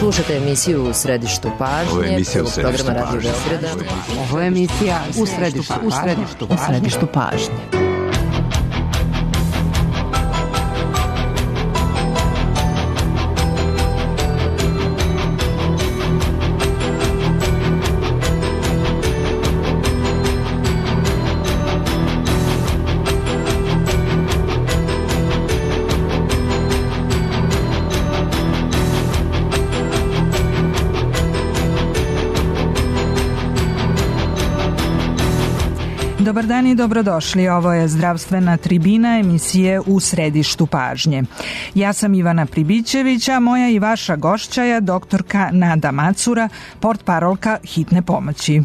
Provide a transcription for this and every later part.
Slušajte emisiju U središtu pažnje. Ovo je emisija U središtu programa Radio pažnje. Beograda. Ovo je emisija U središtu pažnje. Dobar dan i dobrodošli. Ovo je zdravstvena tribina emisije U središtu pažnje. Ja sam Ivana Pribićević, a moja i vaša gošća je doktorka Nada Macura, portparolka hitne pomoći.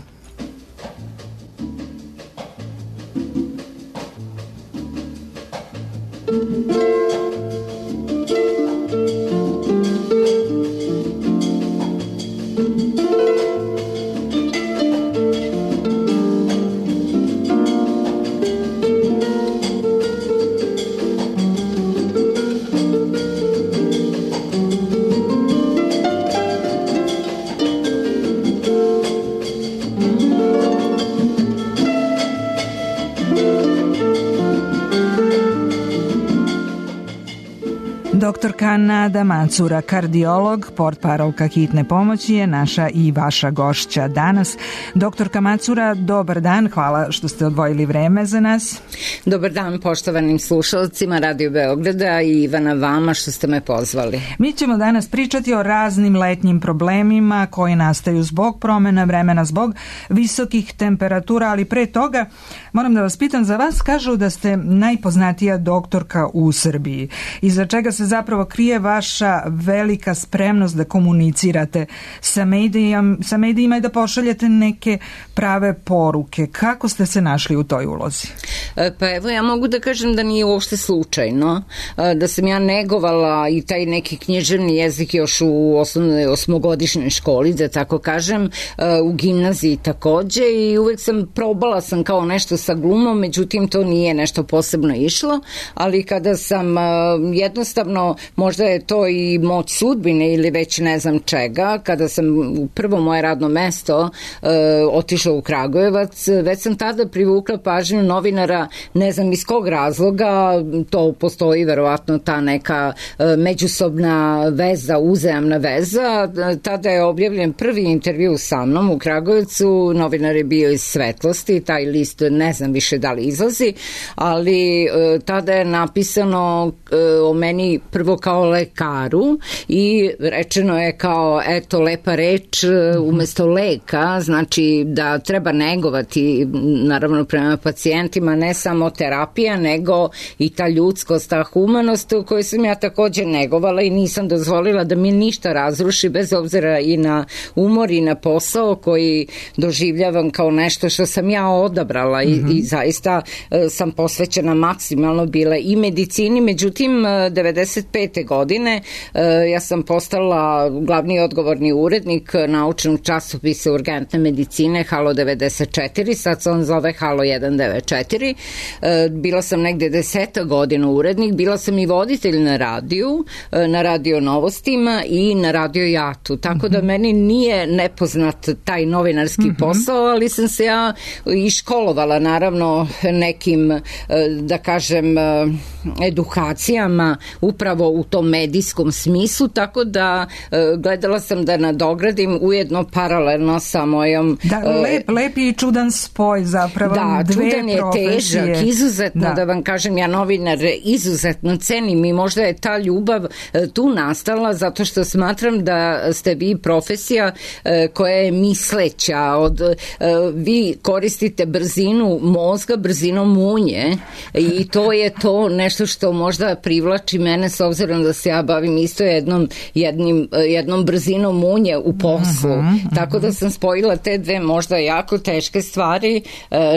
Doktorka Nada Macura, kardiolog, portparolka hitne pomoći, je naša i vaša gošća danas. Doktorka Macura, dobar dan, hvala što ste odvojili vreme za nas. Dobar dan poštovanim slušalcima Radio Beograda i Ivana vama što ste me pozvali. Mi ćemo danas pričati o raznim letnjim problemima koji nastaju zbog promjena vremena, zbog visokih temperatura, ali pre toga moram da vas pitam za vas. Kažu da ste najpoznatija doktorka u Srbiji, iza čega se zapravo krije vaša velika spremnost da komunicirate sa medijima i da pošaljete neke prave poruke. Kako ste se našli u toj ulozi? Pa evo, ja mogu da kažem da nije uopšte slučajno, da sam ja negovala i taj neki književni jezik još u osnovnoj 8-godišnjoj školi, da tako kažem, u gimnaziji takođe, i uvek probala sam kao nešto sa glumom, međutim to nije nešto posebno išlo, ali kada sam jednostavno, možda je to i moć sudbine ili već ne znam čega, kada sam prvo moje radno mesto otišla u Kragujevac, već sam tada privukla pažnju novinara, ne znam iz kog razloga, to postoji verovatno ta neka međusobna veza, uzajamna veza. Tada je objavljen prvi intervju sa mnom u Kragujevcu, novinar je bio iz Svetlosti, taj list ne znam više da li izlazi, ali tada je napisano o meni prvo kao lekaru i rečeno je kao, eto, lepa reč umesto leka, znači da treba negovati, naravno prema pacijentima, ne samo terapija, nego i ta ljudskost, ta humanost koju sam ja također negovala i nisam dozvolila da mi ništa razruši, bez obzira i na umor i na posao koji doživljavam kao nešto što sam ja odabrala i zaista sam posvećena maksimalno bila i medicini. Međutim, 95. godine ja sam postala glavni odgovorni urednik naučnog časopisa urgentne medicine Halo 94, sad se on zove Halo 194. Bila sam negde 10 godina urednik, bila sam i voditelj na radiju, na radio Novostima i na radio Jatu, tako da meni nije nepoznat taj novinarski posao, ali sam se ja i školovala naravno nekim, da kažem, edukacijama upravo u tom medijskom smislu, tako da gledala sam da nadogradim ujedno paralelno sa mojom... Da, lep i čudan spoj zapravo. Da, dve čudan je profesije. Težak, izuzetno, da vam kažem, ja novinar izuzetno cenim i možda je ta ljubav tu nastala zato što smatram da ste vi profesija koja je misleća, vi koristite brzinu mozga, brzinom munje i to je to nešto što možda privlači mene, s obzirom da se ja bavim isto jednom brzinom munje u poslu. Tako da sam spojila te dve možda jako teške stvari.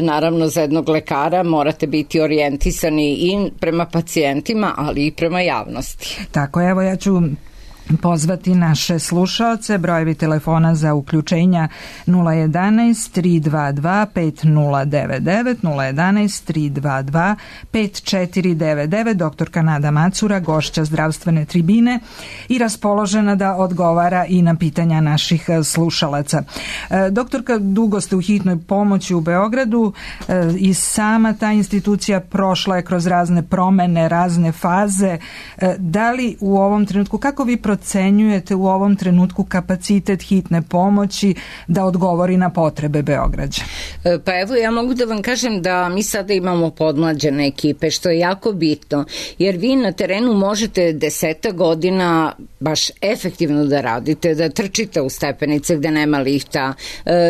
Naravno, za jednog lekara morate biti orijentisani i prema pacijentima, ali i prema javnosti. Tako, evo ja ću pozvati naše slušaoce. Brojevi telefona za uključenja 011 322 5099, 011 322 5499. Doktorka Nada Macura, gošća zdravstvene tribine i raspoložena da odgovara i na pitanja naših slušalaca. Doktorka, dugo ste u hitnoj pomoći u Beogradu i sama ta institucija prošla je kroz razne promene, razne faze. Da li u ovom trenutku, kako vi procenjujete u ovom trenutku kapacitet hitne pomoći da odgovori na potrebe Beograđa? Pa evo, ja mogu da vam kažem da mi sada imamo podmlađene ekipe, što je jako bitno, jer vi na terenu možete 10 godina baš efektivno da radite, da trčite u stepenice gde nema lifta,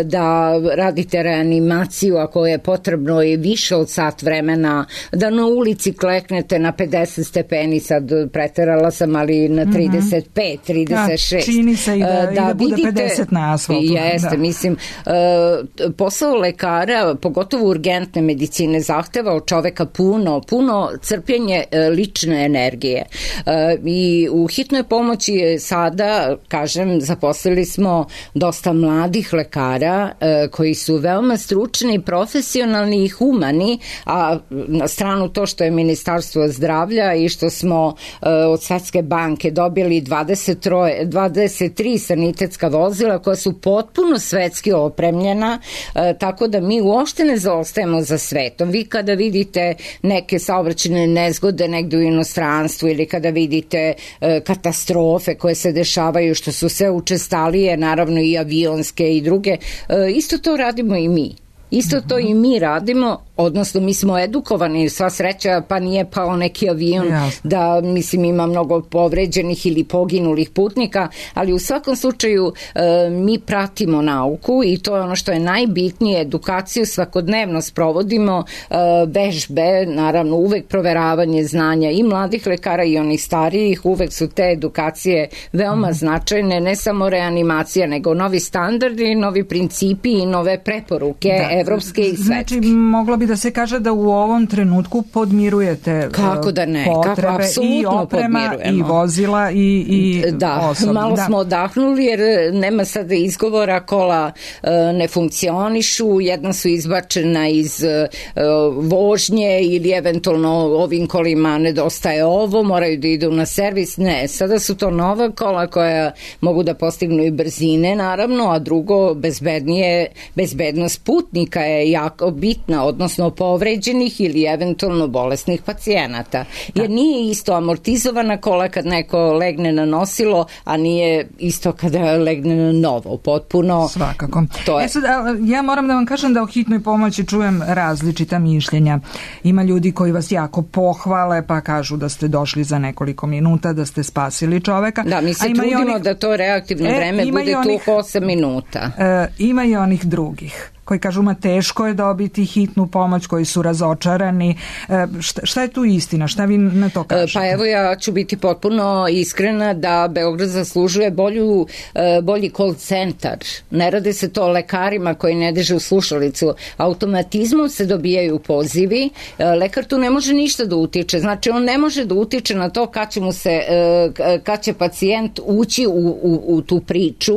da radite reanimaciju ako je potrebno i više od sat vremena, da na ulici kleknete na 50 stepeni, sad preterala sam, ali na 35, 36. Čini se i da bude 50 na asfaltu. Jeste, mislim, posao lekara, pogotovo urgentne medicine, zahteva od čoveka puno crpljenje lične energije. I u hitnoj pomoći sada, kažem, zaposlili smo dosta mladih lekara koji su veoma stručni, profesionalni i humani, a na stranu to što je Ministarstvo zdravlja i što smo od Svetske banke dobili 23 sanitetska vozila koja su potpuno svetski opremljena, tako da mi uopšte ne zaostajemo za svetom. Vi kada vidite neke saobraćajne nezgode negde u inostranstvu ili kada vidite katastrofe koje se dešavaju, što su sve učestalije, naravno i avionske i druge, isto to radimo i mi. Isto to i mi radimo, odnosno mi smo edukovani, sva sreća, pa nije pao neki avion da, mislim, ima mnogo povređenih ili poginulih putnika, ali u svakom slučaju mi pratimo nauku i to je ono što je najbitnije, edukaciju svakodnevno sprovodimo, vežbe, naravno uvek proveravanje znanja i mladih lekara i onih starijih, uvek su te edukacije veoma značajne, ne samo reanimacija, nego novi standardi, novi principi i nove preporuke, evropske i svetske. Znači, moglo bi da se kaže da u ovom trenutku podmirujete kako da ne, potrebe kako i oprema i vozila i osoblje. Malo smo odahnuli jer nema sada izgovora, kola ne funkcionišu, jedna su izbačena iz vožnje ili eventualno ovim kolima nedostaje ovo, moraju da idu na servis. Ne, sada su to nova kola koja mogu da postignu i brzine, naravno, a drugo, bezbednost putnika je jako bitna, odnosno povređenih ili eventualno bolesnih pacijenata. Jer nije isto amortizovana kola kad neko legne na nosilo, a nije isto kada legne na novo. Potpuno. Svakako. Sad, ja moram da vam kažem da o hitnoj pomoći čujem različita mišljenja. Ima ljudi koji vas jako pohvale, pa kažu da ste došli za nekoliko minuta, da ste spasili čoveka. Da, mi se trudimo da to reaktivno vreme bude tu 8 minuta. Ima i onih drugih koji kažu teško je dobiti hitnu pomoć, koji su razočarani. Šta je tu istina? Šta vi na to kažete? Pa evo, ja ću biti potpuno iskrena da Beograd zaslužuje bolji call centar. Ne rade se to lekarima koji ne drže u slušalicu. Automatizmom se dobijaju pozivi. Lekar tu ne može ništa da utiče. Znači, on ne može da utiče na to kad će pacijent ući u tu priču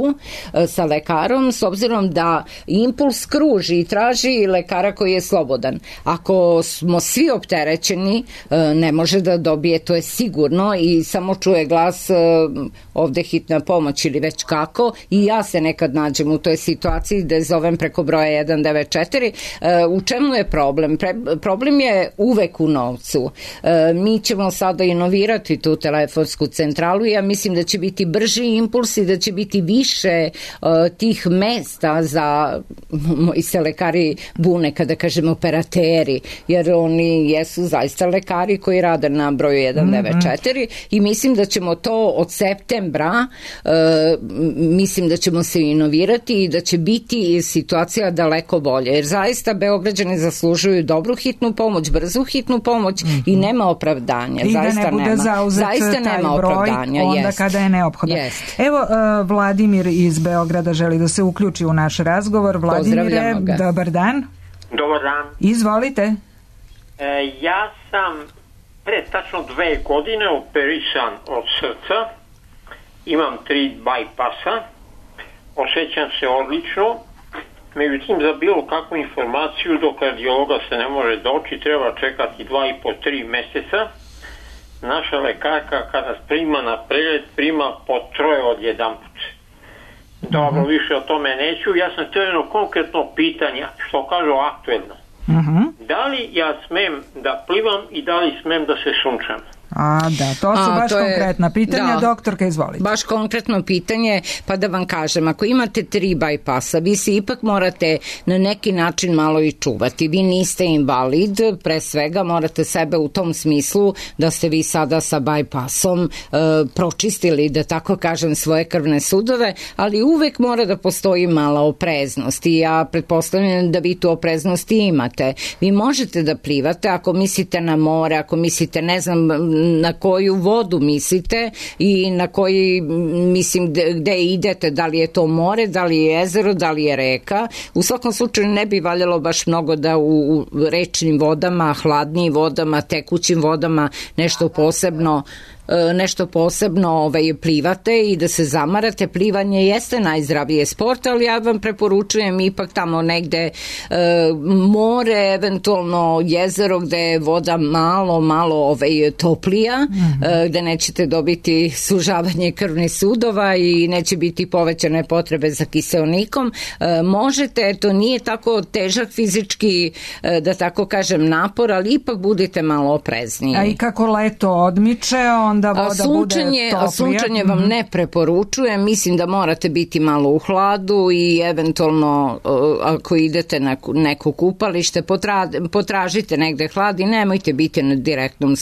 sa lekarom, s obzirom da impuls kruži i traži lekara koji je slobodan. Ako smo svi opterećeni, ne može da dobije, to je sigurno, i samo čuje glas ovde hitna pomoć ili već kako, i ja se nekad nađem u toj situaciji da zovem preko broja 194. U čemu je problem? Problem je uvek u novcu. Mi ćemo sada inovirati tu telefonsku centralu i ja mislim da će biti brži impuls i da će biti više tih mesta za, moji se lekari bune kada kažem operateri, jer oni jesu zaista lekari koji rade na broju 194 i mislim da ćemo to od septembra, mislim da ćemo se inovirati i da će biti situacija daleko bolje, jer zaista Beograđani zaslužuju dobru hitnu pomoć, brzu hitnu pomoć i nema opravdanja. I zaista da ne bude zauzet taj broj onda kada je neophodno. Evo, Vladimir iz Beograda želi da se uključi u naš razgovor. Vladimire, dobar dan. Dobar dan. Izvolite. Ja sam pre tačno 2 godine operisan od srca imam 3 bypassa, osjećam se odlično, međutim za bilo kakvu informaciju do kardiologa se ne može doći, treba čekati 2,5-3 meseca. Naša lekarka kada nas prima na pregled, prima po 3 odjedanput. Dobro, više o tome neću. Ja sam htio jedno konkretno pitanje, što kažu aktuelno. Da li ja smem da plivam i da li smem da se sunčam? To su baš konkretna pitanja. Doktorka, izvolite. Baš konkretno pitanje, pa da vam kažem, ako imate 3 bypassa, vi se ipak morate na neki način malo i čuvati. Vi niste invalid, pre svega morate sebe u tom smislu da ste vi sada sa bypassom pročistili, da tako kažem, svoje krvne sudove, ali uvek mora da postoji mala opreznost i ja pretpostavljam da vi tu opreznost imate. Vi možete da plivate ako mislite na more, ako mislite, ne znam, na koju vodu mislite i na koji, mislim, gde idete, da li je to more, da li je jezero, da li je reka. U svakom slučaju ne bi valjalo baš mnogo da u rečnim vodama, hladnijim vodama, tekućim vodama nešto posebno plivate i da se zamarate. Plivanje jeste najzdravije sport, ali ja vam preporučujem ipak tamo negde more, eventualno jezero gde je voda malo toplija, gde nećete dobiti sužavanje krvnih sudova i neće biti povećane potrebe za kiseonikom. Možete, to nije tako težak fizički, da tako kažem, napor, ali ipak budite malo oprezniji. A i kako leto odmiče, onda voda bude toplija. Sunčanje vam ne preporučujem, mislim da morate biti malo u hladu i eventualno ako idete na neko kupalište, potražite negde hlad i nemojte biti na direktnom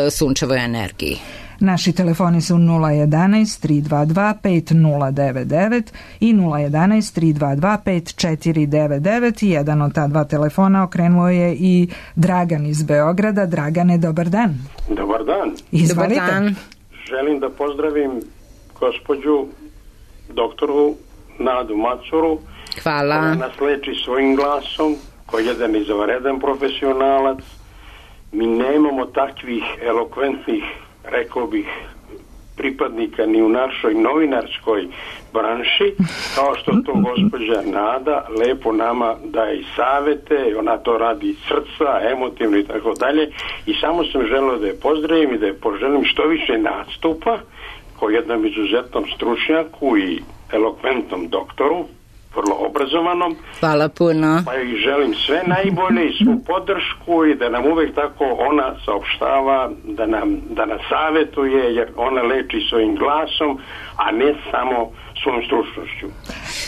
sunčevoj energiji. Naši telefoni su 011 322 5099 i 011 322 5499 i jedan od ta dva telefona okrenuo je i Dragan iz Beograda. Dragane, dobar dan. Dobar dan. Izvolite. Dobar dan. Želim da pozdravim gospođu doktoru Nadu Macuru. Hvala. Koja nas leči svojim glasom, koji je jedan izvanredan profesionalac. Mi nemamo takvih elokventnih, rekao bih, pripadnika ni u našoj novinarskoj branši, kao što to gospođa Nada lepo nama daje i savete, ona to radi iz srca, emotivno i tako dalje, i samo sam želeo da je pozdravim i da je poželim što više nastupa kao jednom izuzetnom stručnjaku i elokventnom doktoru, vrlo obrazovanom. Hvala puno. Pa i želim sve najbolje i svu podršku i da nam uvek tako ona saopštava, da nas savetuje, jer ona leči svojim glasom, a ne samo svojom stručnošću.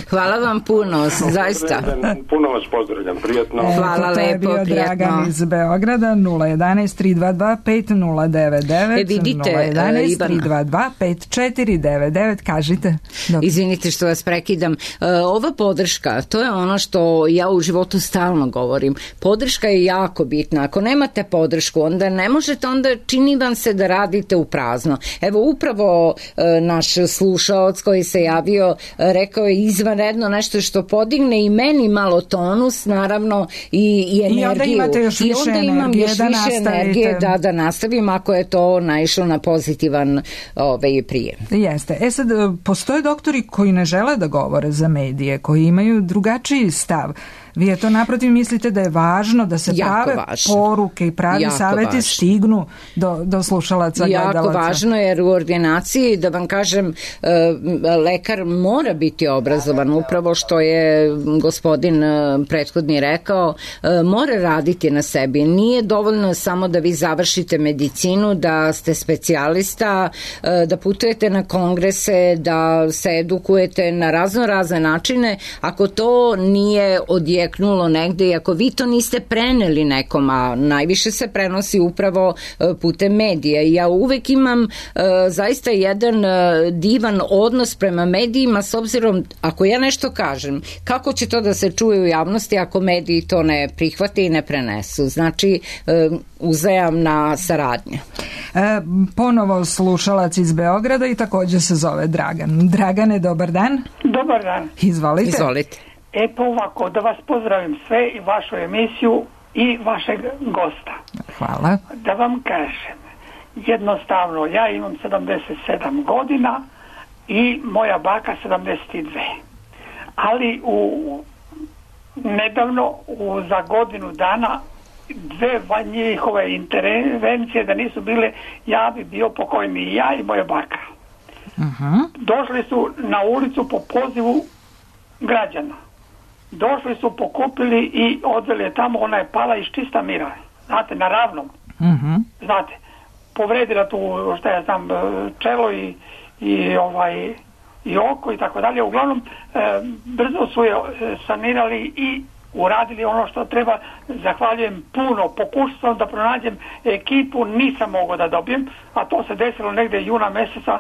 Hvala vam puno, zaista. Puno vas pozdravljam, prijatno. Hvala lepo, prijatno. To je bio Dragan iz Beograda, 011 322 5099, vidite, 011 322 5499, kažite. Izvinite što vas prekidam. Ova podrška, to je ono što ja u životu stalno govorim. Podrška je jako bitna. Ako nemate podršku, onda ne možete, onda čini vam se da radite u prazno. Evo, upravo naš slušaoc koji se javio, rekao je izvanredno nešto što podigne i meni malo tonus, naravno, i energiju. I onda imate još više energije, imam još više energije da nastavim ako je to naišlo na pozitivan prijem. Jeste. Sad, postoje doktori koji ne žele da govore za medije, koji imaju drugačiji stav. Vi je to naprotiv mislite da je važno da se prave poruke i pravi saveti stignu do slušalaca, gledalaca? Jako važno, jer u ordinaciji, da vam kažem, lekar mora biti obrazovan, upravo što je gospodin prethodni rekao, mora raditi na sebi. Nije dovoljno samo da vi završite medicinu, da ste specijalista, da putujete na kongrese, da se edukujete na razne načine. Ako to nije odjeknulo negde i ako vi to niste preneli nekom, a najviše se prenosi upravo putem medija. Ja uvek imam zaista jedan divan odnos prema medijima, s obzirom, ako ja nešto kažem, kako će to da se čuje u javnosti ako mediji to ne prihvate i ne prenesu? Znači, uzajamna saradnja. Ponovo slušalac iz Beograda i također se zove Dragan. Dragane, dobar dan. Dobar dan. Izvolite. Pa ovako, da vas pozdravim sve i vašu emisiju i vašeg gosta. Hvala. Da vam kažem, jednostavno, ja imam 77 godina i moja baka 72. Ali nedavno, za godinu dana, 2 njihove intervencije da nisu bile, ja bi bio pokojni i ja i moja baka. Došli su na ulicu po pozivu građana. Došli su, pokupili i odveli je tamo, ona je pala iz čista mira. Znate, na ravnom. Znate, povredila tu, šta ja znam, čelo i oko i tako dalje. Uglavnom, brzo su je sanirali i uradili ono što treba. Zahvaljujem puno. Pokušao sam da pronađem ekipu, nisam mogao da dobijem, a to se desilo negde juna meseca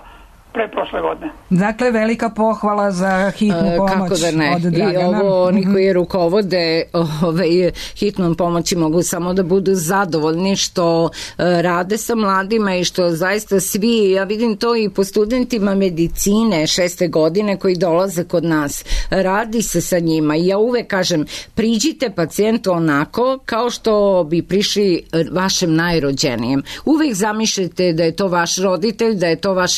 preprošle godine. Dakle, velika pohvala za hitnu pomoć. Kako da ne? Od Dragana. I ovo, oni koji rukovode hitnom pomoći mogu samo da budu zadovoljni što rade sa mladima i što zaista svi, ja vidim to i po studentima medicine 6. godine koji dolaze kod nas, radi se sa njima i ja uvek kažem, priđite pacijentu onako kao što bi prišli vašem najrođenijem. Uvek zamišljate da je to vaš roditelj, da je to vaš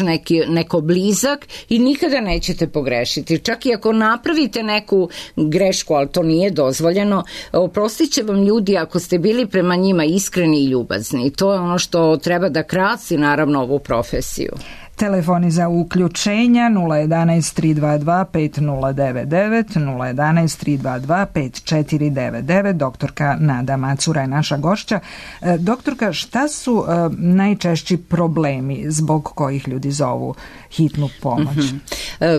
neko blizak i nikada nećete pogrešiti. Čak i ako napravite neku grešku, ali to nije dozvoljeno, oprostit će vam ljudi ako ste bili prema njima iskreni i ljubazni. To je ono što treba da krasi naravno ovu profesiju. Telefoni za uključenja 011 322 5099, 011 322 5499. Doktorka Nada Macura je naša gošća. Doktorka, šta su najčešći problemi zbog kojih ljudi zovu hitnu pomoć?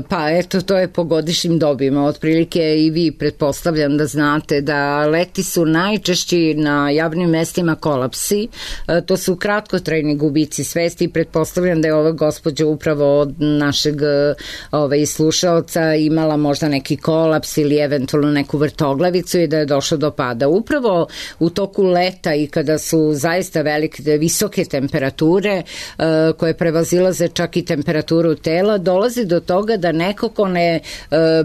Pa eto, to je po godišnjim dobima. Otprilike i vi pretpostavljam da znate da leti su najčešći na javnim mestima kolapsi. To su kratkotrajni gubici svesti. Pretpostavljam da je ova gospođa upravo od našeg slušaoca imala možda neki kolaps ili eventualno neku vrtoglavicu i da je došlo do pada. Upravo u toku leta i kada su zaista visoke temperature koje prevazilaze čak i temperaturu tela, dolazi do toga da neko ko ne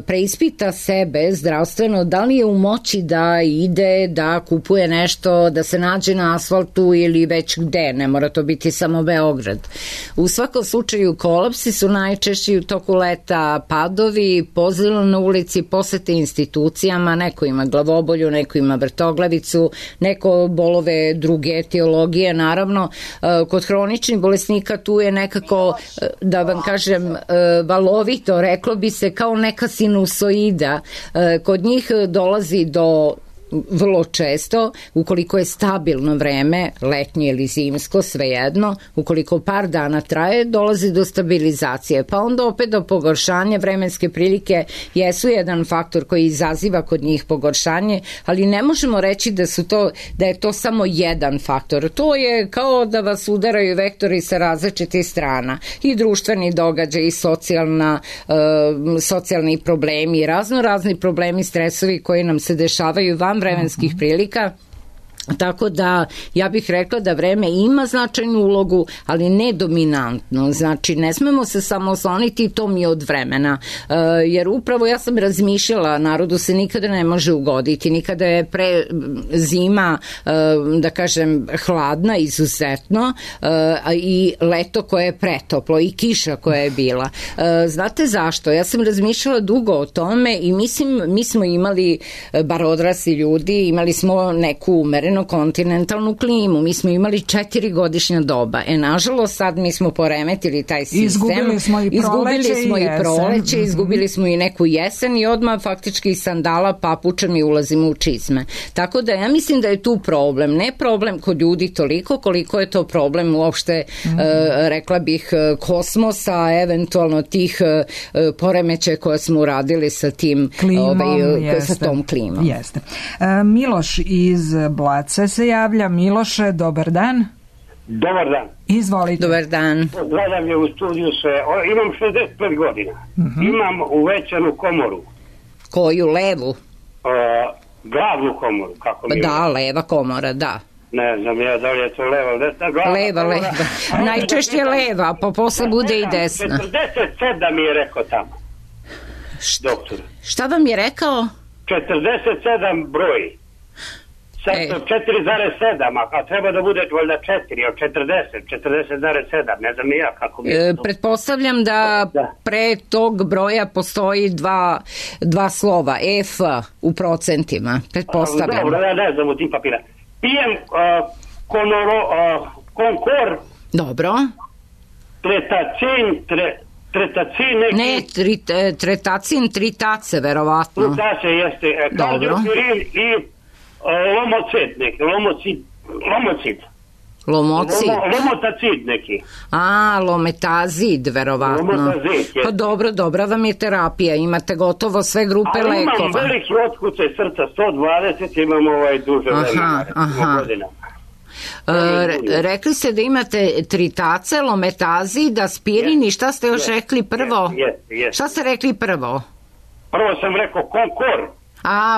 preispita sebe zdravstveno, da li je u moći da ide, da kupuje nešto, da se nađe na asfaltu ili već gde, ne mora to biti samo Beograd. U svakom slučaju kolapsi su najčešći u toku leta, padovi, pozilo na ulici, posete institucijama, neko ima glavobolju, neko ima vrtoglavicu, neko bolove druge etiologije, naravno kod hroničnih bolesnika tu je nekako, da vam kažem, valovito, reklo bi se kao neka sinusoida, kod njih dolazi do vrlo često, ukoliko je stabilno vreme, letnje ili zimsko, svejedno, ukoliko par dana traje, dolazi do stabilizacije, pa onda opet do pogoršanja. Vremenske prilike jesu jedan faktor koji izaziva kod njih pogoršanje, ali ne možemo reći da je to samo jedan faktor. To je kao da vas udaraju vektori sa različitih strana, i društveni događaj, i socijalni problemi, razni problemi, stresovi koji nam se dešavaju van vremenskih prilika. Tako da ja bih rekla da vreme ima značajnu ulogu, ali ne dominantno. Znači, ne smemo se samo osloniti, to mi je od vremena. Jer upravo ja sam razmišljala, narodu se nikada ne može ugoditi, nikada je zima, da kažem, hladna izuzetno, i leto koje je pretoplo i kiša koja je bila. Znate zašto? Ja sam razmišljala dugo o tome i mislim, mi smo imali, bar odrasli ljudi, imali smo neku umerenu kontinentalnu klimu. Mi smo imali 4 godišnja doba. Nažalost, sad mi smo poremetili taj sistem. Izgubili smo i proleće, izgubili smo i neku jesen i odmah faktički iz sandala, papuča mi ulazimo u čizme. Tako da ja mislim da je tu problem. Ne problem kod ljudi toliko koliko je to problem uopšte, rekla bih, kosmosa, eventualno tih poremećaja koje smo uradili sa tim klimom, sa tom klimom. Jeste. Miloš iz Blace se javlja. Miloše, dobar dan. Dobar dan. Izvolite. Dobar dan. Gledam je u studiju sve. Imam 65 godina. Imam uvećanu komoru. Koju, levu? Glavnu komoru, kako mi je. Da, leva komora, da. Ne znam ja da li je to leva, desna, leva. Najčešće leva, pa posle bude i desna. 47 mi je rekao tamo. Doktor. Šta vam je rekao? 47 broj. Sad 4,7, a treba da bude valjda 4 od 40,7, ne znam ni ja kako bi... Pretpostavljam da pre tog broja postoji dva slova, F u procentima, pretpostavljam. Dobro, ja ne znam u tim papira. Pijem konkor. Dobro. Tretacin neki... Ne, tretacin, 3 tace, verovatno. 3 tace jeste. Kardiopirin i lomocid neki, lomocid. Lomotacid neki. Lometazid, verovatno. Lometazid, pa dobra vam je terapija, imate gotovo sve grupe lekova. Imam veliki otkucaj srca, 120, imam duže vremena, godina. Rekli ste da imate tritace, lometazid, aspirin i šta ste još rekli prvo? Šta ste rekli prvo? Prvo sam rekao konkor.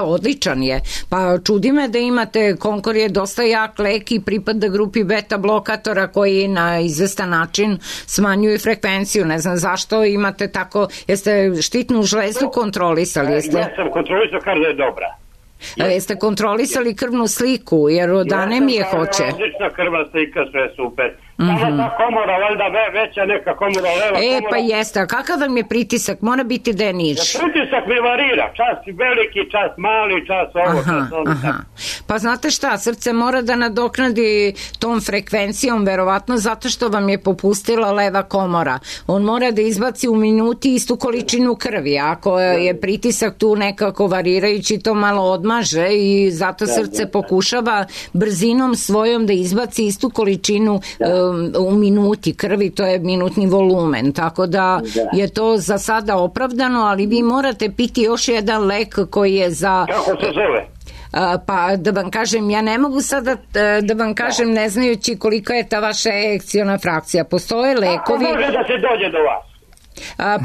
Odličan je. Pa čudi me da imate, konkor je dosta jak lek i pripada grupi beta blokatora koji na izvestan način smanjuju frekvenciju. Ne znam zašto imate tako, jeste štitnu žlezu kontrolisali? Ja sam kontrolisao kar da je dobra. Jeste kontrolisali krvnu sliku, jer od anemije hoće? Odlična krvna slika, sve super. Samo ta komora, valjda veća neka komora, leva komora. Pa jeste, a kakav vam je pritisak? Mora biti da je niži. Pritisak mi varira, čas veliki, čas mali, čas ovo, čas ono. Pa znate šta, srce mora da nadoknadi tom frekvencijom, verovatno zato što vam je popustila leva komora. On mora da izbaci u minuti istu količinu krvi, ako je pritisak tu nekako varirajući, to malo odmaže i zato srce pokušava brzinom svojom da izbaci istu količinu u minuti krvi, to je minutni volumen, tako da je to za sada opravdano, ali vi morate piti još jedan lek koji je za... Kako se zove? Pa da vam kažem, ja ne mogu sada da vam kažem ne znajući kolika je ta vaša ejekciona frakcija. Postoje lekovi... Kako može da se dođe do vas?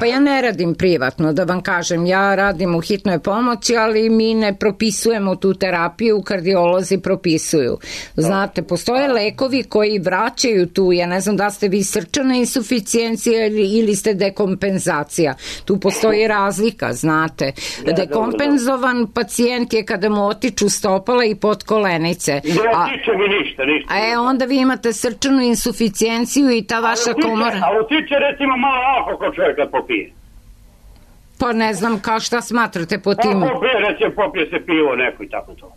Pa ja ne radim privatno, da vam kažem, ja radim u hitnoj pomoći, ali mi ne propisujemo tu terapiju, kardiolozi propisuju. Znate, postoje lekovi koji vraćaju tu, ja ne znam da ste vi srčana insuficijencija ili ste dekompenzacija. Tu postoji razlika, znate. Dekompenzovan pacijent je kada mu otiču stopala i potkolenice. Ne tiče mi ništa. Onda vi imate srčanu insuficijenciju i ta vaša komora... A utiče recimo malo alkohol čovjek kad popije. Pa ne znam šta smatrate po tim... Popije se pivo neko i tako to.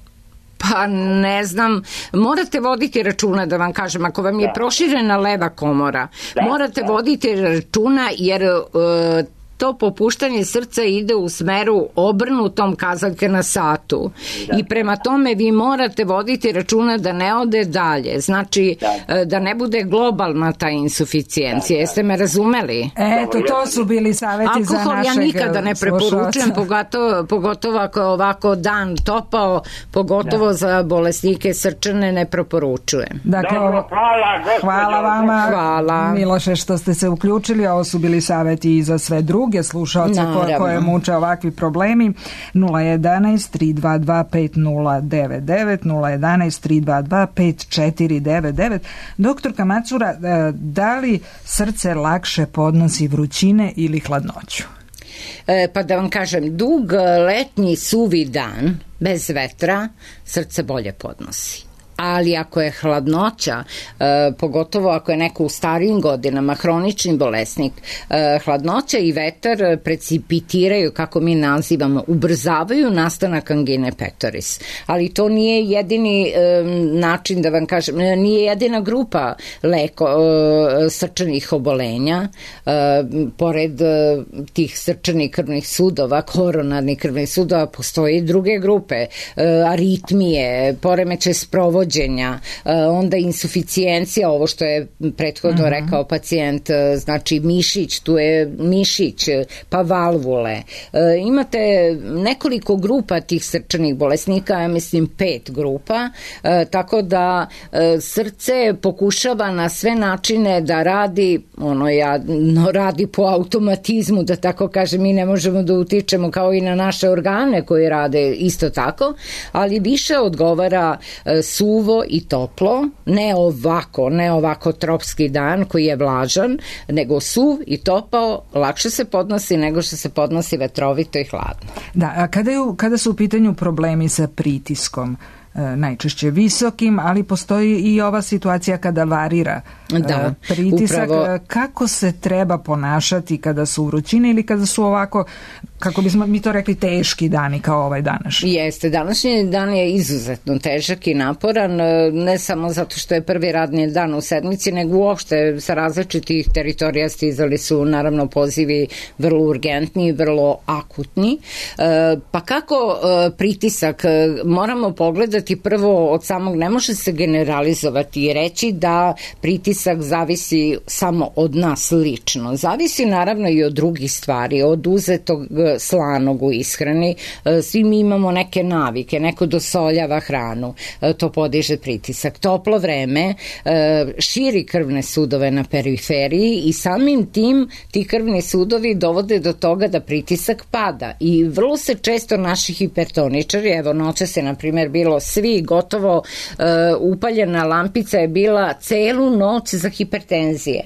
Pa ne znam, morate voditi računa da vam kažem, ako vam je proširena leva komora, morate voditi računa jer... to popuštanje srca ide u smeru obrnutom kazaljke na satu i prema tome vi morate voditi računa da ne ode dalje, znači da ne bude globalna ta insuficijencija. Jeste me razumeli? Eto, to su bili savjeti za našeg slušalca. Alkohol ja nikada ne preporučujem, pogotovo ako je ovako dan topao, pogotovo za bolesnike srčane ne preporučujem. Dakle, hvala vama, Miloše, što ste se uključili. Ovo su bili savjeti i za sve druge slušalce koje muče ovakvi problemi. 011 322 5099 011 322 5499. Doktorka Macura, da li srce lakše podnosi vrućine ili hladnoću? Pa da vam kažem, dug letnji suvi dan bez vetra srce bolje podnosi. Ali ako je hladnoća, pogotovo ako je neko u starijim godinama, hronični bolesnik, hladnoća i vetar precipitiraju, kako mi nazivamo, ubrzavaju nastanak angine pectoris. Ali to nije jedini način, da vam kažem, nije jedina grupa srčanih obolenja. Pored tih srčanih krvnih sudova, koronarnih krvnih sudova, postoje i druge grupe, aritmije, poremećaj sprovođenja, onda insuficijencija, ovo što je prethodno rekao pacijent, znači mišić, tu je mišić, pa valvule. Imate nekoliko grupa tih srčanih bolesnika, ja mislim 5 grupa, tako da srce pokušava na sve načine da radi, radi po automatizmu, da tako kažem, mi ne možemo da utičemo kao i na naše organe koji rade isto tako, ali više odgovara suvo i toplo, ne ovako tropski dan koji je vlažan, nego suv i topao lakše se podnosi nego što se podnosi vetrovito i hladno. Da, a kada su u pitanju problemi sa pritiskom, najčešće visokim, ali postoji i ova situacija kada varira pritisak. Upravo. Kako se treba ponašati kada su vrućine ili kada su ovako, kako bismo mi to rekli, teški dani kao ovaj današnji? Jeste, današnji dan je izuzetno težak i naporan, ne samo zato što je prvi radni dan u sedmici, nego uopšte sa različitih teritorija stizali su naravno pozivi vrlo urgentni, vrlo akutni. Pa kako pritisak? Moramo pogledati prvo od samog, ne može se generalizovati i reći da pritisak zavisi samo od nas lično. Zavisi naravno i od drugih stvari, od uzetog slanog u ishrani. Svi mi imamo neke navike, neko dosoljava hranu, to podiže pritisak. Toplo vreme širi krvne sudove na periferiji i samim tim ti krvni sudovi dovode do toga da pritisak pada i vrlo se često naši hipertoničari, evo noće se na primjer bilo svi gotovo upaljena lampica je bila celu noć za hipertenzije.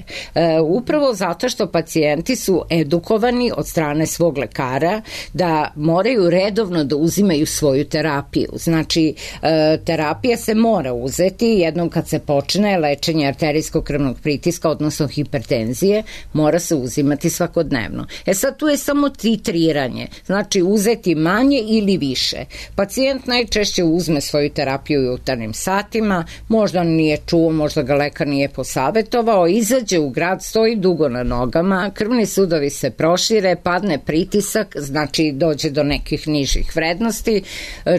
Upravo zato što pacijenti su edukovani od strane svog lekara da moraju redovno da uzimaju svoju terapiju. Znači, terapija se mora uzeti jednom kad se počne lečenje arterijskog krvnog pritiska, odnosno hipertenzije, mora se uzimati svakodnevno. Sad tu je samo titriranje, znači uzeti manje ili više. Pacijent najčešće uzme svoju terapiju u jutarnjim satima, možda nije čuo, možda ga lekar nije posavetovao, izađe u grad, stoji dugo na nogama, krvni sudovi se prošire, padne pritisak, znači dođe do nekih nižih vrednosti,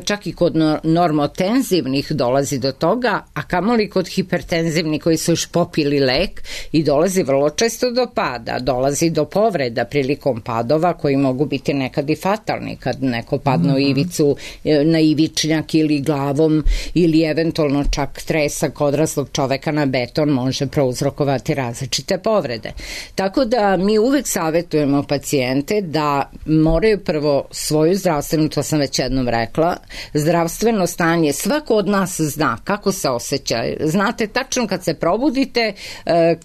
čak i kod normotenzivnih dolazi do toga, a kamoli kod hipertenzivnih koji su još popili lek i dolazi vrlo često do pada, dolazi do povreda prilikom padova koji mogu biti nekad i fatalni, kad neko padne u ivicu, na ivičnjak ili glavom ili eventualno čak tresak odraslog čoveka na beton može prouzrokovati različite povrede. Tako da mi uvek savetujemo pacijente da moraju prvo svoju zdravstvenu, to sam već jednom rekla, zdravstveno stanje, svako od nas zna kako se osjeća. Znate tačno kad se probudite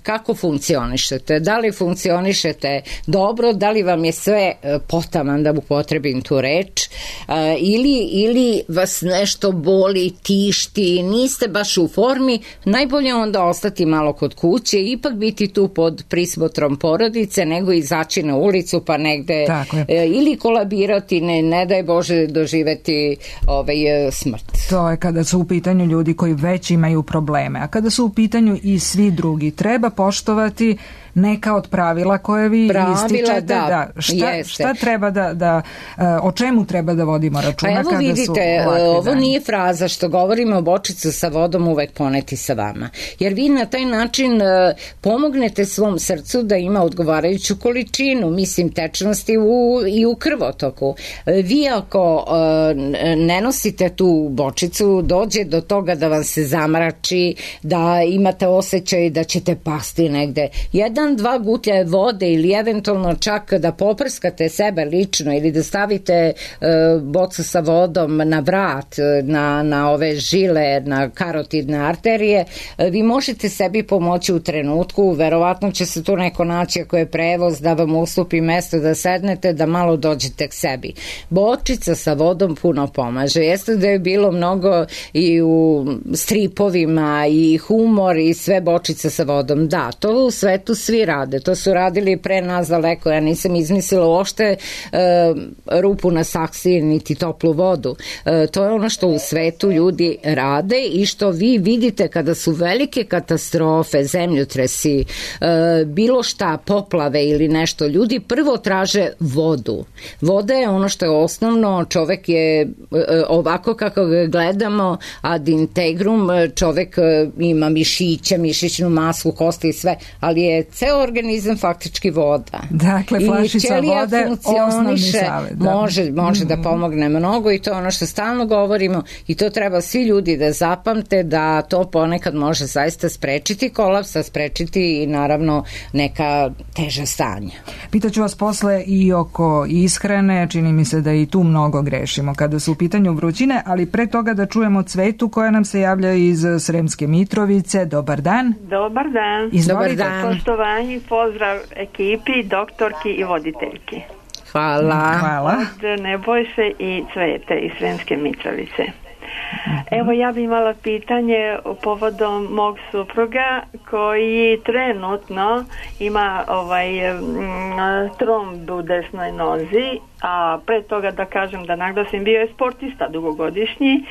kako funkcionišete, da li funkcionišete dobro, da li vam je sve potaman, da upotrebim tu reč, ili vas nešto boli, tišti, niste baš u formi, najbolje onda ostati malo kod kuće, ipak biti tu pod prismotrom porodice, nego izaći na ulicu pa negde ili kolabirati, ne daj Bože doživeti smrt. To je kada su u pitanju ljudi koji već imaju probleme, a kada su u pitanju i svi drugi, treba poštovati neka od pravila koje vi ističete. Šta treba o čemu treba da vodimo računa? Pa evo kada vidite, su ovo nije fraza što govorimo, bočicu sa vodom uvek poneti sa vama. Jer vi na taj način pomognete svom srcu da ima odgovarajuću količinu, mislim, tečnosti i u krvotoku. Vi ako ne nosite tu bočicu, dođe do toga da vam se zamrači, da imate osjećaj da ćete pasti negde. 1-2 gutlje vode ili eventualno čak da poprskate sebe lično ili da stavite bocu sa vodom na vrat, na ove žile, na karotidne arterije, vi možete sebi pomoći u trenutku, verovatno će se tu neko naći ako je prevoz da vam ustupi mesto da sednete, da malo dođete k sebi. Bočica sa vodom puno pomaže. Jeste da je bilo mnogo i u stripovima i humor i sve bočica sa vodom. Da, to u svetu svi rade. To su radili pre nas daleko. Ja nisam izmislila uopšte rupu na saksiji niti toplu vodu. To je ono što u svetu ljudi rade i što vi vidite kada su velike katastrofe, zemljotresi, bilo šta, poplave ili nešto. Ljudi prvo traže vodu. Voda je ono što je osnovno. Čovek je ovako kako ga gledamo ad integrum, čovek ima mišiće, mišićnu masu, kosti i sve, ali je ceo organizam faktički voda. Dakle, flašica vode, osnovni savet. Može da pomogne mnogo i to je ono što stalno govorimo i to treba svi ljudi da zapamte da to ponekad može zaista sprečiti kolaps, sprečiti i naravno neka teža stanja. Pitaću vas posle i oko ishrane, čini mi se da i tu mnogo grešimo kada su u pitanju vrućine, ali pre toga da čujemo Cvetu koja nam se javlja iz Sremske Mitrovice. Dobar dan. Dobar dan. Dobar dan. Poštovanje, pozdrav ekipi, doktorki i voditeljki. Hvala. Hvala. Od Nebojše i Cvete iz Sremske Mitrovice. Evo, ja bih imala pitanje povodom mog supruga koji trenutno ima tromb u desnoj nozi, a pre toga da kažem, da naglasim, bio je sportista dugogodišnji,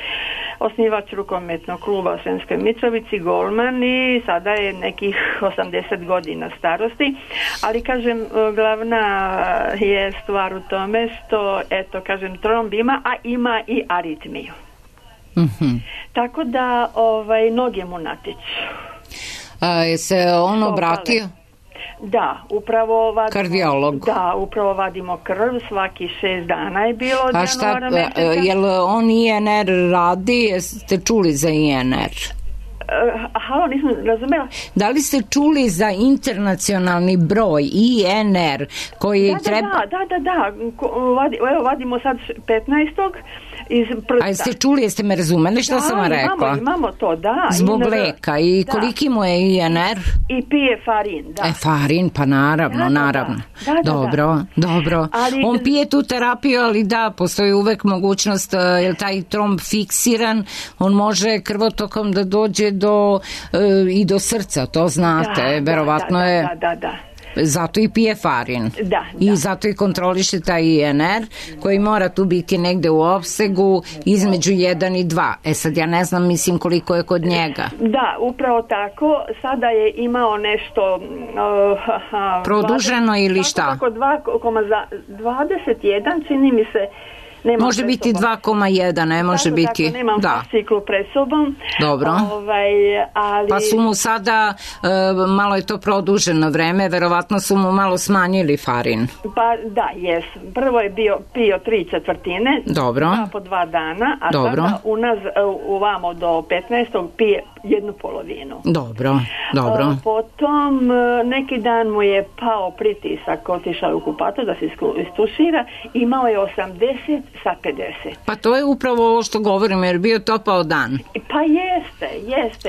osnivač rukometnog kluba u Sremskoj Mitrovici, golman, i sada je nekih 80 godina starosti, ali kažem, glavna je stvar u tome što, eto, kažem, tromb ima, a ima i aritmiju. Tako da noge mu natiču. Je se on obratio? Da, upravo vadimo, kardiolog. Da, upravo vadimo krv, svaki 6 dana je bilo od januara meseca. Jel on INR radi? Jeste čuli za INR? Halo, nisam razumela. Da li ste čuli za internacionalni broj INR koji treba... Da. Evo, vadimo sad 15. iz prsta. A jeste čuli, jeste me razumeli što sam vam rekla? Imamo to, da. Zbog leka. I koliki mu je INR? I pije farin, da. Farin, pa naravno. Dobro. Ali, on pije tu terapiju, ali da, postoji uvek mogućnost, je taj tromb fiksiran, on može krvotokom da dođe i do srca, to znate, verovatno je... Da. Zato i pije farin. Da. I zato i kontroliše taj INR koji mora tu biti negde u opsegu između 1 i 2. Sad ja ne znam, mislim koliko je kod njega. Da, upravo tako. Sada je imao nešto... produženo ili šta? Tako 2,21 čini mi se. Može biti 2,1, ne može biti. Tako, nemam ciklu pred sobom. Dobro. Ali... Pa su mu sada, malo je to produženo vreme, verovatno su mu malo smanjili farin. Pa da, jesu. Prvo je pio 3/4. Dobro. Po 2 dana, a sada uvamo do 15. pije 1/2. Dobro. Potom neki dan mu je pao pritisak, otišao u kupato da se istušira, imao je 80 sa 50. Pa to je upravo ovo što govorim, jer bio topao dan. Pa jeste.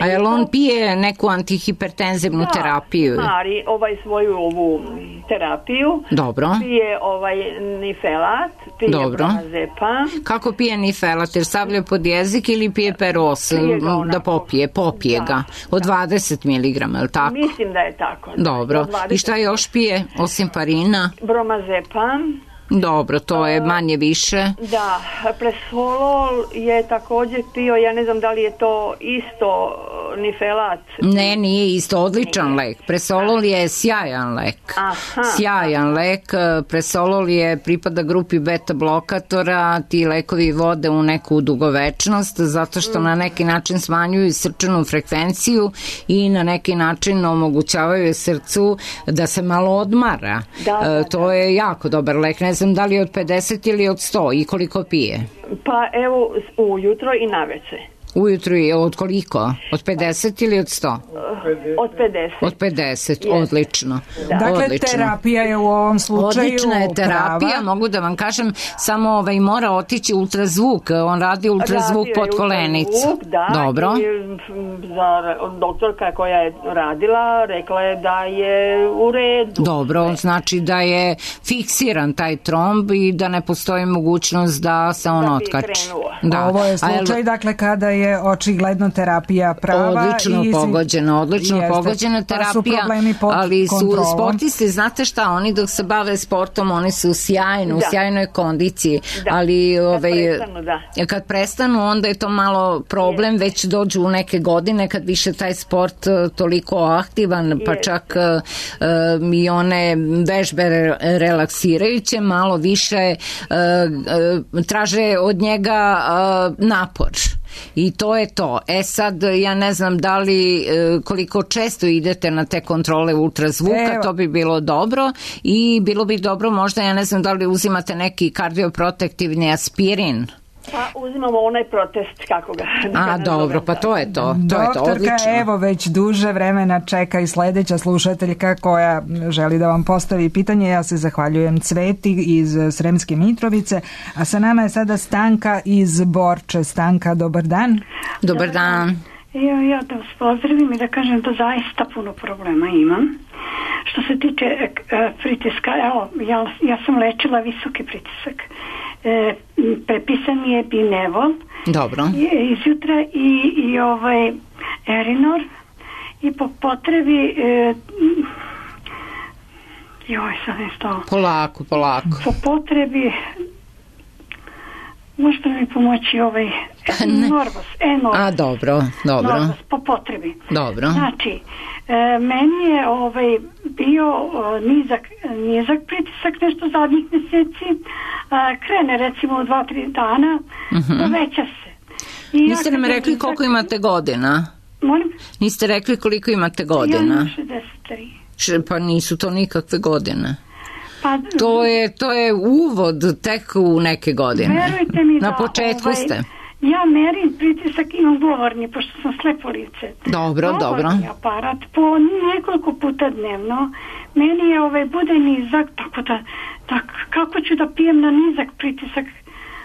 A jel on pije neku antihipertenzivnu terapiju? Da, Mari svoju ovu terapiju. Dobro. Pije nifelat, pije bromazepam. Kako pije nifelat? Jer stavlja pod jezik ili pije peros? Da popije ga. Od 20 mg, je li tako? Mislim da je tako. Dobro. I šta još pije, osim farina? Bromazepam. Dobro, to je manje više. Da, presolol je također pio, ja ne znam da li je to isto nifelat. Ne, nije isto, odličan lek. Presolol je sjajan lek. Sjajan lek, presolol pripada grupi beta blokatora, ti lekovi vode u neku dugovečnost, zato što na neki način smanjuju srčanu frekvenciju i na neki način omogućavaju srcu da se malo odmara. To je jako dobar lek, ne znam da li je od 50 ili od 100 i koliko pije? Pa evo, ujutro i naveče. Ujutro je od koliko? Od 50 ili od 100? Od 50. Od 50, odlično. Dakle, terapija je u ovom slučaju odlična je terapija, prava. mogu da vam kažem, samo mora otići ultrazvuk, on radi ultrazvuk pod kolenicu. Dobro. Doktorka koja je radila rekla je da je u redu. Dobro, znači da je fiksiran taj tromb i da ne postoji mogućnost da se on otkači. Ovo je slučaj, dakle, kada je očigledno terapija prava. Odlično pogođena terapija, ali su sportisti, znate šta, oni dok se bave sportom, oni su u sjajnoj kondiciji, ali kad prestanu, onda je to malo problem, već dođu u neke godine kad više taj sport toliko aktivan, pa čak i one vežbe relaksirajuće malo više traže od njega napor. I to je to. Sad, ja ne znam da li koliko često idete na te kontrole ultrazvuka, to bi bilo dobro i bilo bi dobro možda, ja ne znam da li uzimate neki kardioprotektivni aspirin. Pa uzimamo onaj protest, kako ga... dobro, pa to je to. Doktorka, evo već duže vremena čeka i sledeća slušateljka koja želi da vam postavi pitanje. Ja se zahvaljujem Cveti iz Sremske Mitrovice, a sa nama je sada Stanka iz Borče. Stanka, dobar dan. Dobar dan. Ja da vas pozdravim i da kažem da zaista puno problema imam. Što se tiče pritiska, evo, ja sam lečila visoki pritisak. prepisan mi je Binevol. Dobro. Izjutra i Erinor i po potrebi sad je stalo. Polako. Po potrebi možete mi pomoći Norvos. A, dobro. Norvos, po potrebi. Dobro. Znači, meni je bio nizak pritisak nešto zadnjih mjeseci, krene recimo u 2-3 dana, poveća se. Niste nam rekli koliko imate godina? Molim? Niste rekli koliko imate godina? Ja imam 63. Pa nisu to nikakve godine. To je uvod tek u neke godine. Verujte mi na početku ste. Ja merim pritisak, imam govorni, pošto sam slepo lice. Dobro. Govorni aparat po nekoliko puta dnevno. Meni je bude nizak, tako da kako ću da pijem na nizak pritisak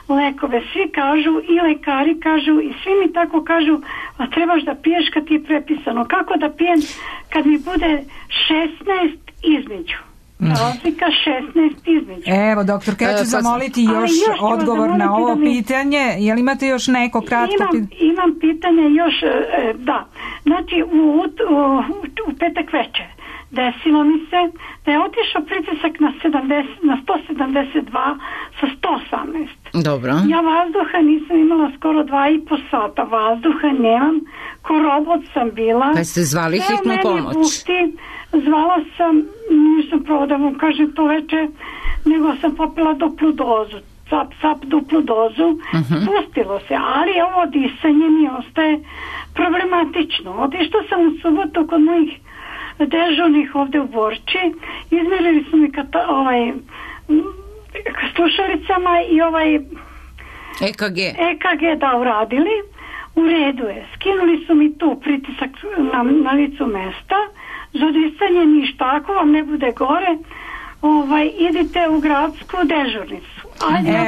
lekove. Svi kažu, i lekari kažu, i svi mi tako kažu, a trebaš da piješ kad ti je prepisano. Kako da pijem kad mi bude 16 između? Razlika 16 između. Evo, doktorka, ja ću zamoliti još odgovor na ovo pitanje. Jel imate još neko kratko pitanje? Imam pitanje još, da. Znači, u petak večer desilo mi se da je otišao pritisak na 172 sa 118. Dobro. Ja vazduha nisam imala skoro 2,5 sata. Vazduha nemam. Ko robot sam bila. Pa ste zvali hitnu pomoć? Zvala sam, nisam pravo da vam kažem to veče, nego sam popila duplu dozu. Cap duplu dozu. Pustilo se, ali ovo disanje mi ostaje problematično. Otišla sam u subotu kod mojih dežurnih ovde u Borči, izmerili su mi slušalicama i EKG da uradili, u redu je, skinuli su mi tu pritisak na licu mesta, za disanje ništa, ako vam ne bude gore, idite u gradsku dežurnicu.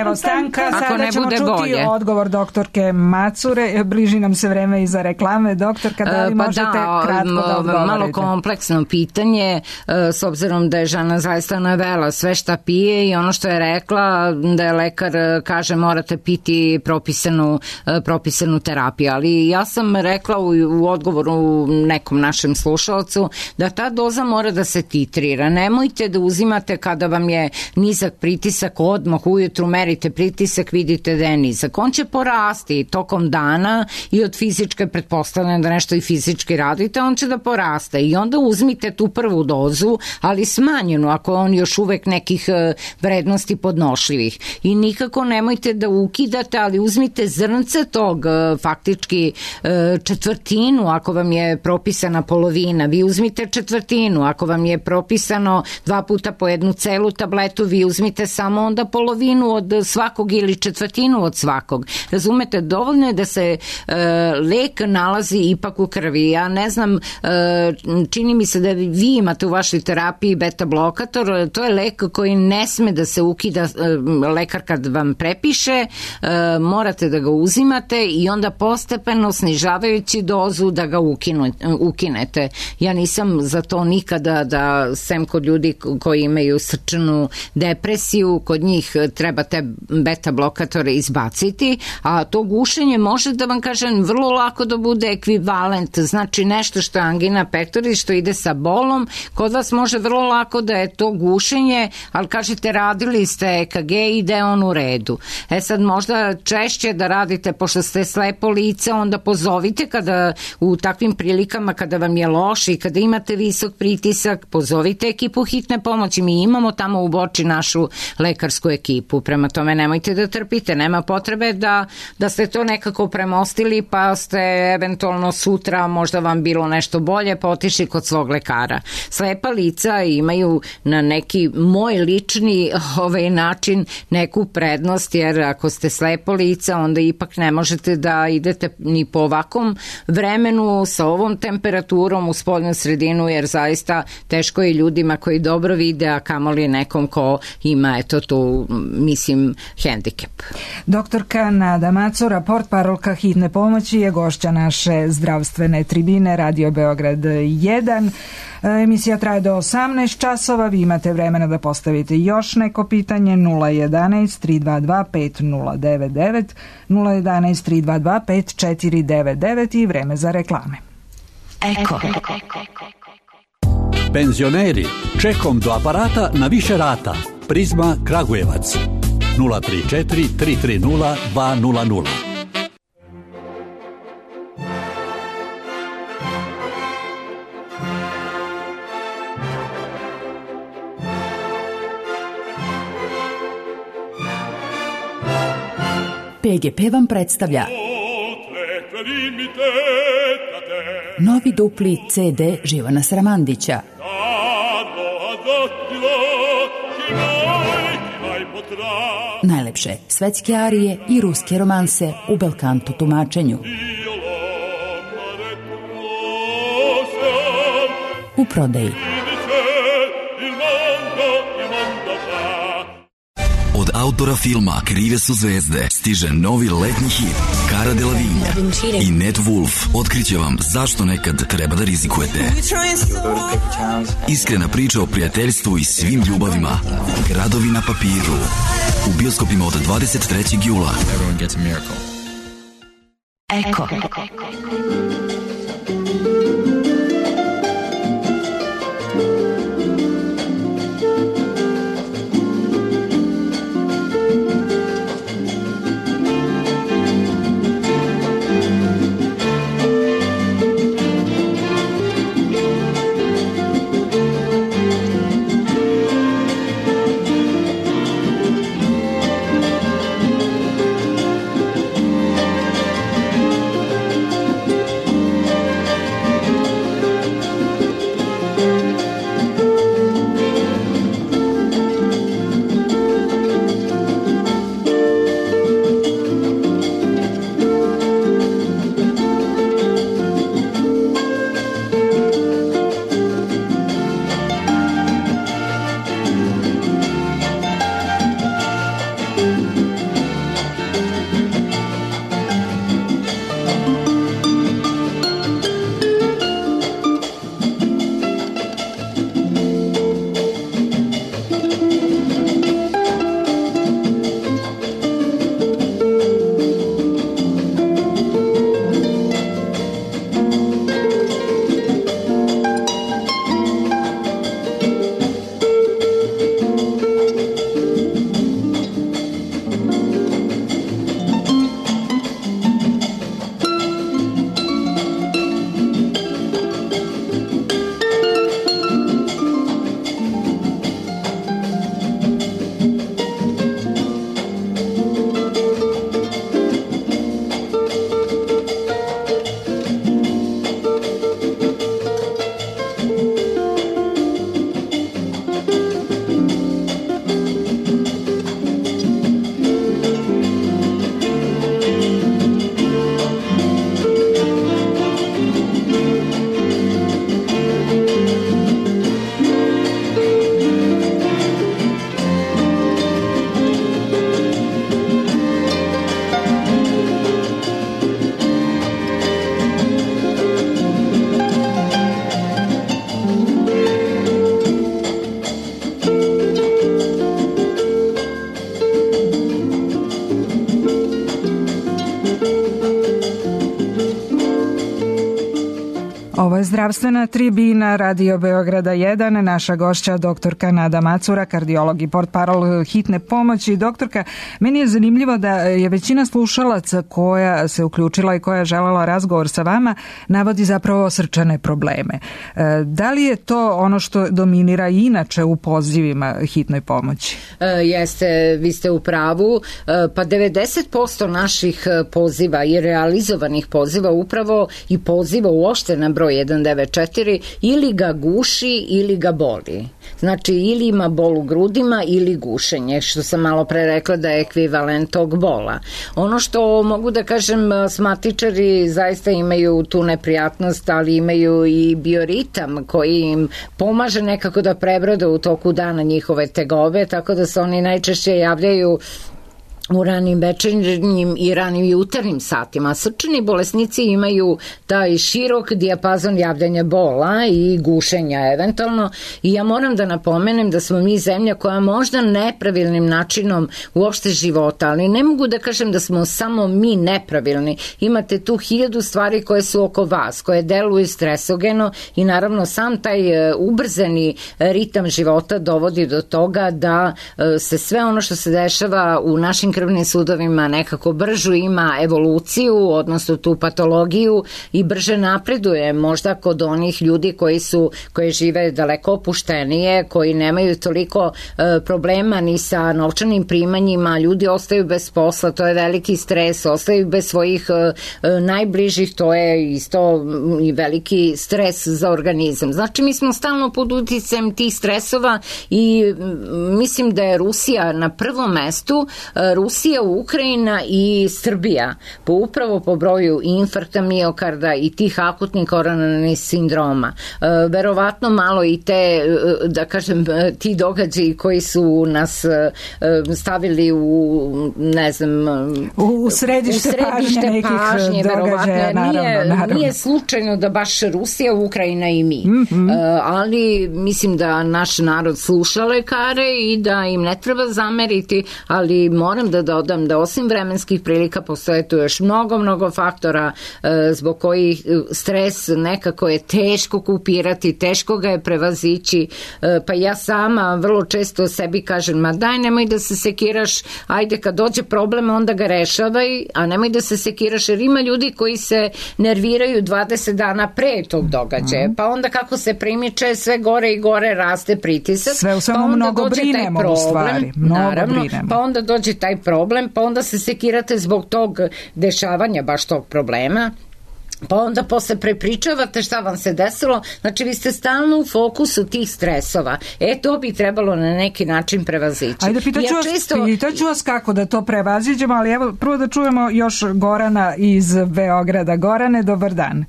Evo, Stanka, sada ćemo čuti odgovor doktorke Macure. Bliži nam se vreme i za reklame. Doktorka, da li možete kratko da odgovorite? Malo kompleksno pitanje, s obzirom da je žena zaista navela sve šta pije i ono što je rekla, da je lekar kaže morate piti propisanu terapiju. Ali ja sam rekla u odgovoru nekom našem slušalcu da ta doza mora da se titrira. Nemojte da uzimate kada vam je nizak pritisak odmah ujutru merite pritisak, vidite da je nizak. On će porasti tokom dana i od fizičke, pretpostavljam da nešto i fizički radite, on će da poraste i onda uzmite tu prvu dozu, ali smanjenu ako on još uvek nekih vrednosti podnošljivih. I nikako nemojte da ukidate, ali uzmite zrnce tog, faktički četvrtinu ako vam je propisana polovina, vi uzmite četvrtinu, ako vam je propisano 2 puta po 1 celu tabletu, vi uzmite samo onda polovinu od svakog ili četvrtinu od svakog. Razumete, dovoljno je da se lek nalazi ipak u krvi. Ja ne znam, čini mi se da vi imate u vašoj terapiji beta blokator, to je lek koji ne sme da se ukida, lekar kad vam prepiše, morate da ga uzimate i onda postepeno snižavajući dozu da ga ukinete. Ja nisam za to nikada da, sem kod ljudi koji imaju srčanu depresiju, kod njih treba te beta blokatore izbaciti, a to gušenje može da vam kažem vrlo lako da bude ekvivalent, znači nešto što je angina pectoris, što ide sa bolom, kod vas može vrlo lako da je to gušenje, ali kažete radili ste EKG i da je on u redu. Sad možda češće da radite, pošto ste slepo lice, onda pozovite kada u takvim prilikama kada vam je loše i kada imate visok pritisak, pozovite ekipu hitne pomoći. Mi imamo tamo u Borči našu lekarsku ekipu. Prema tome nemojte da trpite, nema potrebe da ste to nekako premostili pa ste eventualno sutra možda vam bilo nešto bolje pa otišli kod svog lekara. Slepa lica imaju na neki moj lični način neku prednost, jer ako ste slepo lica onda ipak ne možete da idete ni po ovakvom vremenu sa ovom temperaturom u spoljnu sredinu, jer zaista teško je ljudima koji dobro vide, a kamoli nekom ko ima tu hendikep. Doktorka Nada Macura, portparolka hitne pomoći, je gošća naše zdravstvene tribine Radio Beograd 1. Emisija traje do 18 časova. Vi imate vremena da postavite još neko pitanje. 011 322 5099, 011 322 5499 i vreme za reklame. Eko. Penzioneri, čekom do aparata na više rata. Prizma Kragujevac 034 330 200. PGP vam predstavlja novi dupli CD Živana Sramandića. Najlepše svetske arije i ruske romanse u belkanto tumačenju. U prodaji. Od autora filma Krive su zvezde stiže novi letnji hit Cara Delevingne i Ned Wolf otkriće vam zašto nekad treba da rizikujete. Iskrena priča o prijateljstvu i svim ljubavima. Gradovi na papiru. U bioskopima od 23. jula. Eko. Ovo je zdravstvena tribina Radio Beograda 1. Naša gošća doktorka Nada Macura, kardiolog i portparol hitne pomoći. Doktorka, meni je zanimljivo da je većina slušalaca koja se uključila i koja je želela razgovor sa vama navodi zapravo srčane probleme. Da li je to ono što dominira i inače u pozivima hitnoj pomoći? Jeste, vi ste u pravu. Pa 90% naših poziva i realizovanih poziva upravo i poziva uopšte na broj 1 194 ili ga guši ili ga boli. Znači ili ima bol u grudima ili gušenje, što sam malo pre rekla da je ekvivalent tog bola. Ono što mogu da kažem, asmatičari zaista imaju tu neprijatnost, ali imaju i bioritam koji im pomaže nekako da prebrode u toku dana njihove tegobe, tako da se oni najčešće javljaju u ranim večernjim i ranim jutarnjim satima. Srčani bolesnici imaju taj širok dijapazon javljanja bola i gušenja eventualno, i ja moram da napomenem da smo mi zemlja koja možda nepravilnim načinom uopšte života, ali ne mogu da kažem da smo samo mi nepravilni. Imate tu 1000 stvari koje su oko vas, koje deluju stresogeno i naravno sam taj ubrzani ritam života dovodi do toga da se sve ono što se dešava u našim krvnim sudovima nekako bržu ima evoluciju, odnosno tu patologiju, i brže napreduje možda kod onih ljudi koji žive daleko opuštenije, koji nemaju toliko problema ni sa novčanim primanjima, ljudi ostaju bez posla, to je veliki stres, ostaju bez svojih najbližih, to je isto i veliki stres za organizam. Znači mi smo stalno pod uticajem tih stresova i mislim da je Rusija na prvom mestu, Rusija, Ukrajina i Srbija, upravo po broju infarkta miokarda i tih akutnih koronarnih sindroma. Verovatno malo i te, da kažem, ti događaji koji su nas stavili u, ne znam, u središte pažnje događaja, naravno. Nije slučajno da baš Rusija, Ukrajina i mi. Ali mislim da naš narod sluša lekare i da im ne treba zameriti, ali moram da dodam da osim vremenskih prilika postoje tu još mnogo faktora zbog kojih stres nekako je teško kupirati, teško ga je prevazići, pa ja sama vrlo često sebi kažem, ma daj, nemoj da se sekiraš, ajde kad dođe problem onda ga rešavaj, a nemoj da se sekiraš, jer ima ljudi koji se nerviraju 20 dana pre tog događaja, pa onda kako se primiče, sve gore i gore raste pritisak, sve u svemu mnogo brinemo u stvari, pa onda dođe taj problem, pa onda se sekirate zbog tog dešavanja, baš tog problema, pa onda posle prepričavate šta vam se desilo, znači vi ste stalno u fokusu tih stresova. To bi trebalo na neki način prevazići. Ajde, pitaću vas kako da to prevaziđemo, ali evo prvo da čujemo još Gorana iz Beograda. Gorane, dobar dan.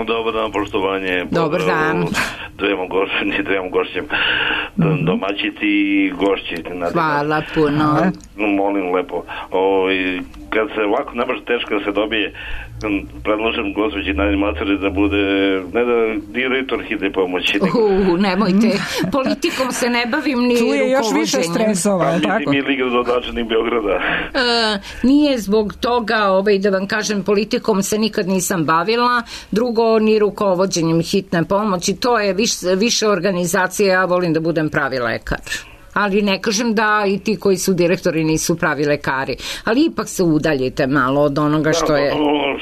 Dobar dan, poštovanje. Dobar dan. Dvema gošćem domaćiti i gošći. Hvala puno. Molim lepo. Kad se ovako ne baš teško da se dobije, predložim gospođi Nadi Macari da bude, ne da direktor hitne pomoći. Nemojte, politikom se ne bavim ni rukovođenjem. Tu je još više stresova, tako? Mi liga dodačeni Beograda. Nije zbog toga, da vam kažem, politikom se nikad nisam bavila, drugo ni rukovođenjem hitne pomoći, to je više organizacije, ja volim da budem pravi lekar. Ali ne kažem da i ti koji su direktori nisu pravi lekari, ali ipak se udaljite malo od onoga što je...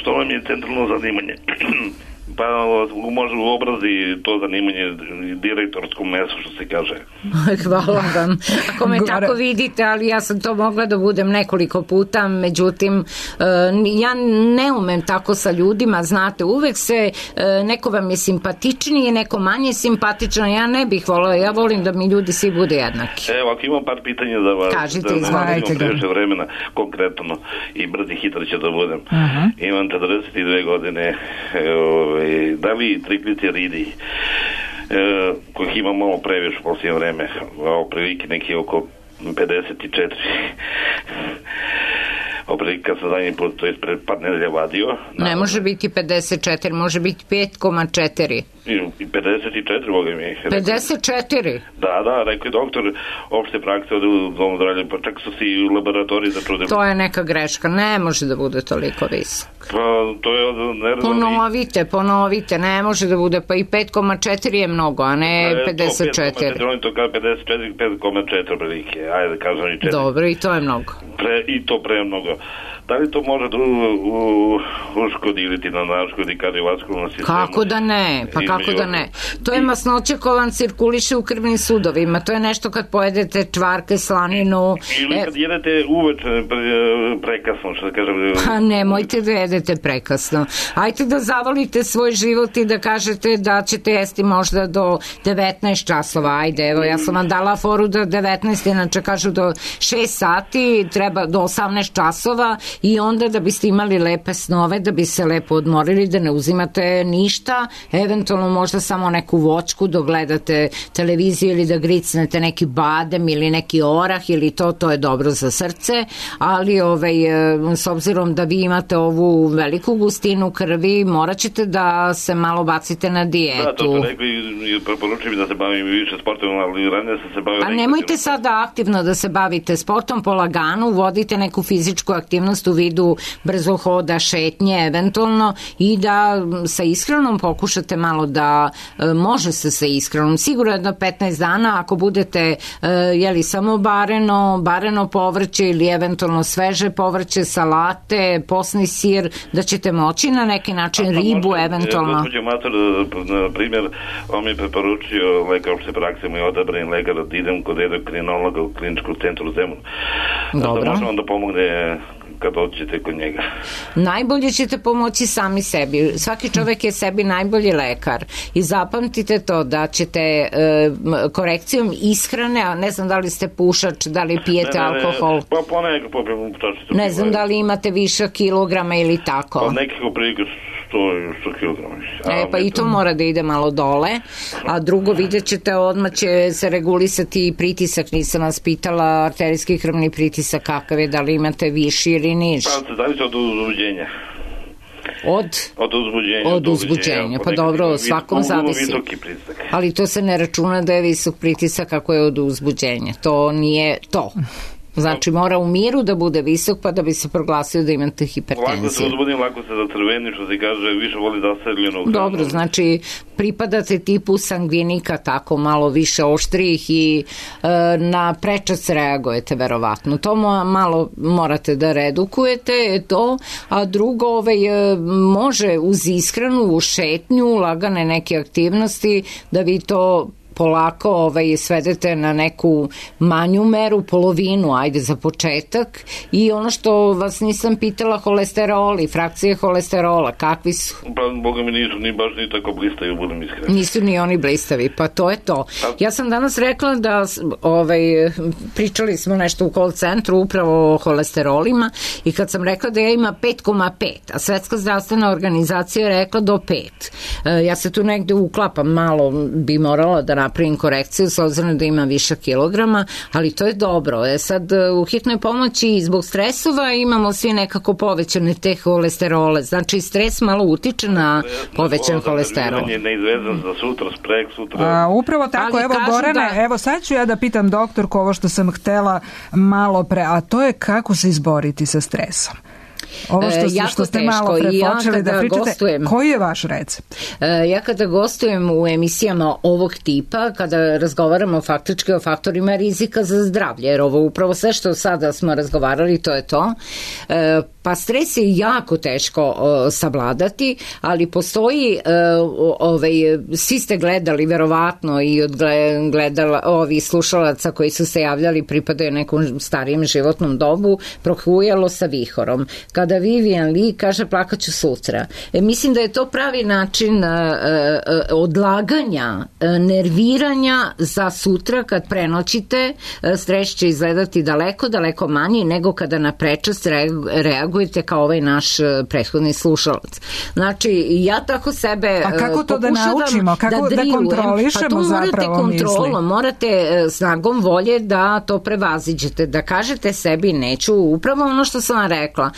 Što vam je centralno zanimanje. Pa može u obrazi to zanimanje direktorskom mesu, što se kaže. Hvala vam. Ako me tako vidite, ali ja sam to mogla da budem nekoliko puta, međutim ja ne umem tako sa ljudima, znate, uvek se neko vam je simpatičniji, neko manje simpatičan, ja ne bih volila, ja volim da mi ljudi svi budu jednaki. Evo, ako imam par pitanja da vas... Kažite, izvolite. Previše vremena, konkretno, i brz i hitar će da budem. Imam 42 godine, da li trigliceridi kojih ima malo previše u posljednje vreme, prilike neki oko 54 kad sam zadnji put, to je pred par nedelja vadio. Ne može biti 54, može biti 5,4. I 54, Boga mi. 54? Da, rekao je doktor opšte prakse u domu zdravlja, pa čak su si i u laboratoriji začudili. To je neka greška, ne može da bude toliko visok. Pa to je Ponovite, ne može da bude, pa i 5,4 je mnogo, a ne 54. Oni to kao 54, 5,4 prilike, ajde kažem i 4. Dobro, i to je mnogo. I to pre mnogo. Da li to može da uškodi ili ti na naškodi kardiovaskularnom sistemu? Kako da ne, pa kako da ne. To je masnoća koja vam cirkuliše u krvnim sudovima, to je nešto kad pojedete čvarke, slaninu. Ili kad jedete uveče prekasno, što da kažem. Pa nemojte da jedete prekasno. Ajte da zavolite svoj život i da kažete da ćete jesti možda do 19 časova. Ajde, evo, ja sam vam dala foru do 19, inače kažu do 6 sati, treba do 18 časova i onda da biste imali lepe snove, da bi se lepo odmorili, da ne uzimate ništa, eventualno možda samo neku voćku dok gledate televiziju ili da gricnete neki badem ili neki orah ili to je dobro za srce, ali s obzirom da vi imate ovu veliku gustinu krvi, morat ćete da se malo bacite na dijetu. Da, to ste rekli i preporučujem da se bavim više sportom, ali ranije sam se bavio... Pa nemojte sada aktivno da se bavite sportom, polagano, vodite neku fizičku aktivnost u vidu brzohoda, šetnje eventualno i da sa ishranom pokušate malo da može se sa ishranom. Sigurno jedno 15 dana ako budete jeli samo bareno povrće ili eventualno sveže povrće, salate, posni sir, da ćete moći na neki način ribu eventualno. Gospođo Mator, na primjer, on mi je preporučio lekar opšte prakse, moj odabrani lekar, da idem kod endokrinologa u kliničkom centru Zemun. Dobro. Da može on da pomogne kad dođete kod njega. Najbolje ćete pomoći sami sebi. Svaki čovek je sebi najbolji lekar i zapamtite to da ćete korekcijom ishrane, a ne znam da li ste pušač, da li pijete alkohol. Pa ponekako popijem čašicu. Ne znam da li imate više kilograma ili tako. Pa nekako prilike 100 kilograma. Pa i to mora da ide malo dole, a drugo vidjet ćete odmah će se regulisati pritisak, nisam vas pitala arterijski krvni pritisak kakav je, da li imate viši ili niži. Pa se zavisi od uzbuđenja. Od uzbuđenja, pa dobro, svakom zavisi. Ali to se ne računa da je visok pritisak ako je od uzbuđenja, to nije to. Znači mora u miru da bude visok pa da bi se proglasio da imate hipertenziju. Lako se uzbudim, lako se zatrveni, što se kaže, više voli zastreljenog. Dobro, znači pripadate tipu sangvinika, tako malo više oštrijih i na prečac reagujete verovatno. To malo morate da redukujete, a drugo može uz ishranu, u šetnju, lagane neke aktivnosti da vi to polako svedete na neku manju meru, polovinu, ajde za početak. I ono što vas nisam pitala, holesteroli, frakcije holesterola, kakvi su? Pa, boga mi nisu ni baš ni tako blistavi, budem iskreni. Nisu ni oni blistavi, pa to je to. Ja sam danas rekla da pričali smo nešto u call centru upravo o holesterolima i kad sam rekla da ja ima 5,5, a Svetska zdravstvena organizacija je rekla do 5. Ja se tu negde uklapam, malo bi morala da napravim korekciju s obzirom da ima više kilograma, ali to je dobro. Sad u hitnoj pomoći zbog stresova imamo svi nekako povećane te holesterole. Znači stres malo utiče na povećan holesterol. Neizvezan za sutra, sprek sutra. Upravo tako, evo Gorane, evo sad ću ja da pitam doktorku ovo što sam htela malo pre, a to je kako se izboriti sa stresom. Ovo što ste malo prepočeli da pričate, koji je vaš recept? Ja kada gostujem u emisijama ovog tipa, kada razgovaramo faktički o faktorima rizika za zdravlje, jer ovo upravo sve što sada smo razgovarali, to je to, pa stres je jako teško savladati, ali postoji, svi ste gledali verovatno i od ovih slušalaca koji su se javljali pripadaju nekom starijem životnom dobu, Prohujalo sa vihorom. Kada Vivian Lee kaže plakaću sutra. Mislim da je to pravi način odlaganja, nerviranja za sutra kad prenoćite. Stres će izgledati daleko manji nego kada na prečac reagujete kao ovaj naš prethodni slušalac. Znači, ja tako sebe a kako to da naučimo? Kako da kontrolišemo zapravo misli? Morate snagom volje da to prevaziđete, da kažete sebi neću, upravo ono što sam vam rekla.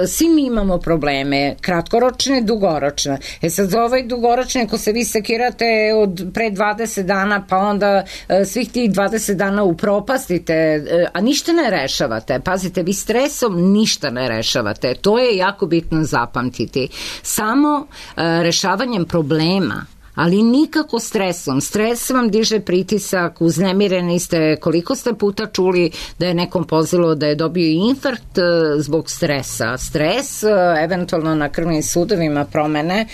Svi mi imamo probleme, kratkoročne, dugoročne. Sad za ovaj dugoročne, ako se vi sekirate od pre 20 dana, pa onda svih tih 20 dana upropastite, a ništa ne rešavate. Pazite, vi stresom ništa ne rešavate. To je jako bitno zapamtiti. Samo rešavanjem problema ali nikako stresom. Stres vam diže pritisak, uznemireni ste, koliko ste puta čuli da je nekom pozilo da je dobio infarkt zbog stresa. Stres, eventualno na krvnim sudovima promene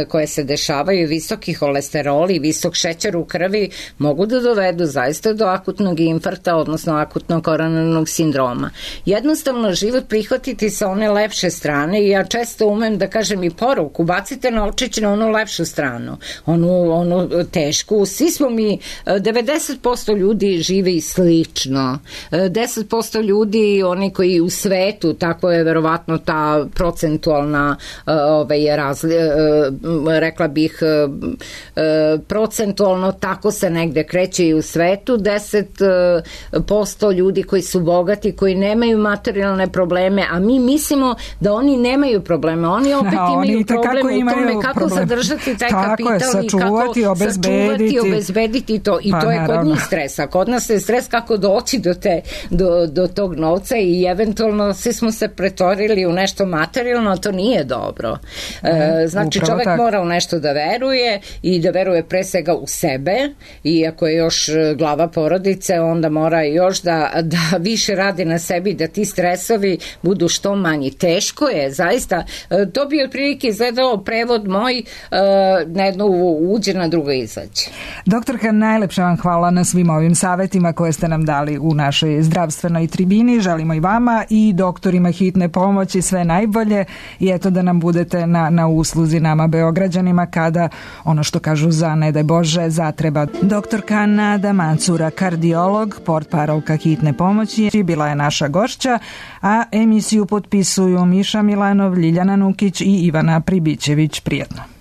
koje se dešavaju, visoki holesterol i visok šećer u krvi mogu da dovedu zaista do akutnog infarkta, odnosno akutnog koronarnog sindroma. Jednostavno život prihvatiti sa one lepše strane i ja često umem da kažem i poruku, bacite novčić na onu lepšu stranu, onu tešku. Svi smo mi, 90% ljudi žive i slično. 10% ljudi, oni koji u svetu, tako je verovatno ta procentualna rekla bih procentualno tako se negde kreće i u svetu. 10% ljudi koji su bogati, koji nemaju materijalne probleme, a mi mislimo da oni nemaju probleme. Oni opet imaju problem u tome kako zadržati taj kapital i kako sačuvati, obezbediti to. I to je kod njih stresa. Kod nas je stres kako doći do tog novca i eventualno svi smo se pretvorili u nešto materijalno, a to nije dobro. Znači čovek mora u nešto da veruje i da veruje pre svega u sebe, i ako je još glava porodice, onda mora još da više radi na sebi, da ti stresovi budu što manji. Teško je, zaista. To bi otprilike izgledao prevod moj, na jedno uđe, na drugo izađe. Doktorka, najlepša vam hvala na svim ovim savetima koje ste nam dali u našoj zdravstvenoj tribini. Želimo i vama i doktorima hitne pomoći sve najbolje i eto da nam budete na usluzi nama Beograđanima kada ono što kažu za ne daj Bože zatreba. Doktorka Nada Mancura, kardiolog, portparolka hitne pomoći, bila je naša gošća, a emisiju potpisuju Miša Milanov, Ljiljana Nukić i Ivana Pribićević. Prijetno.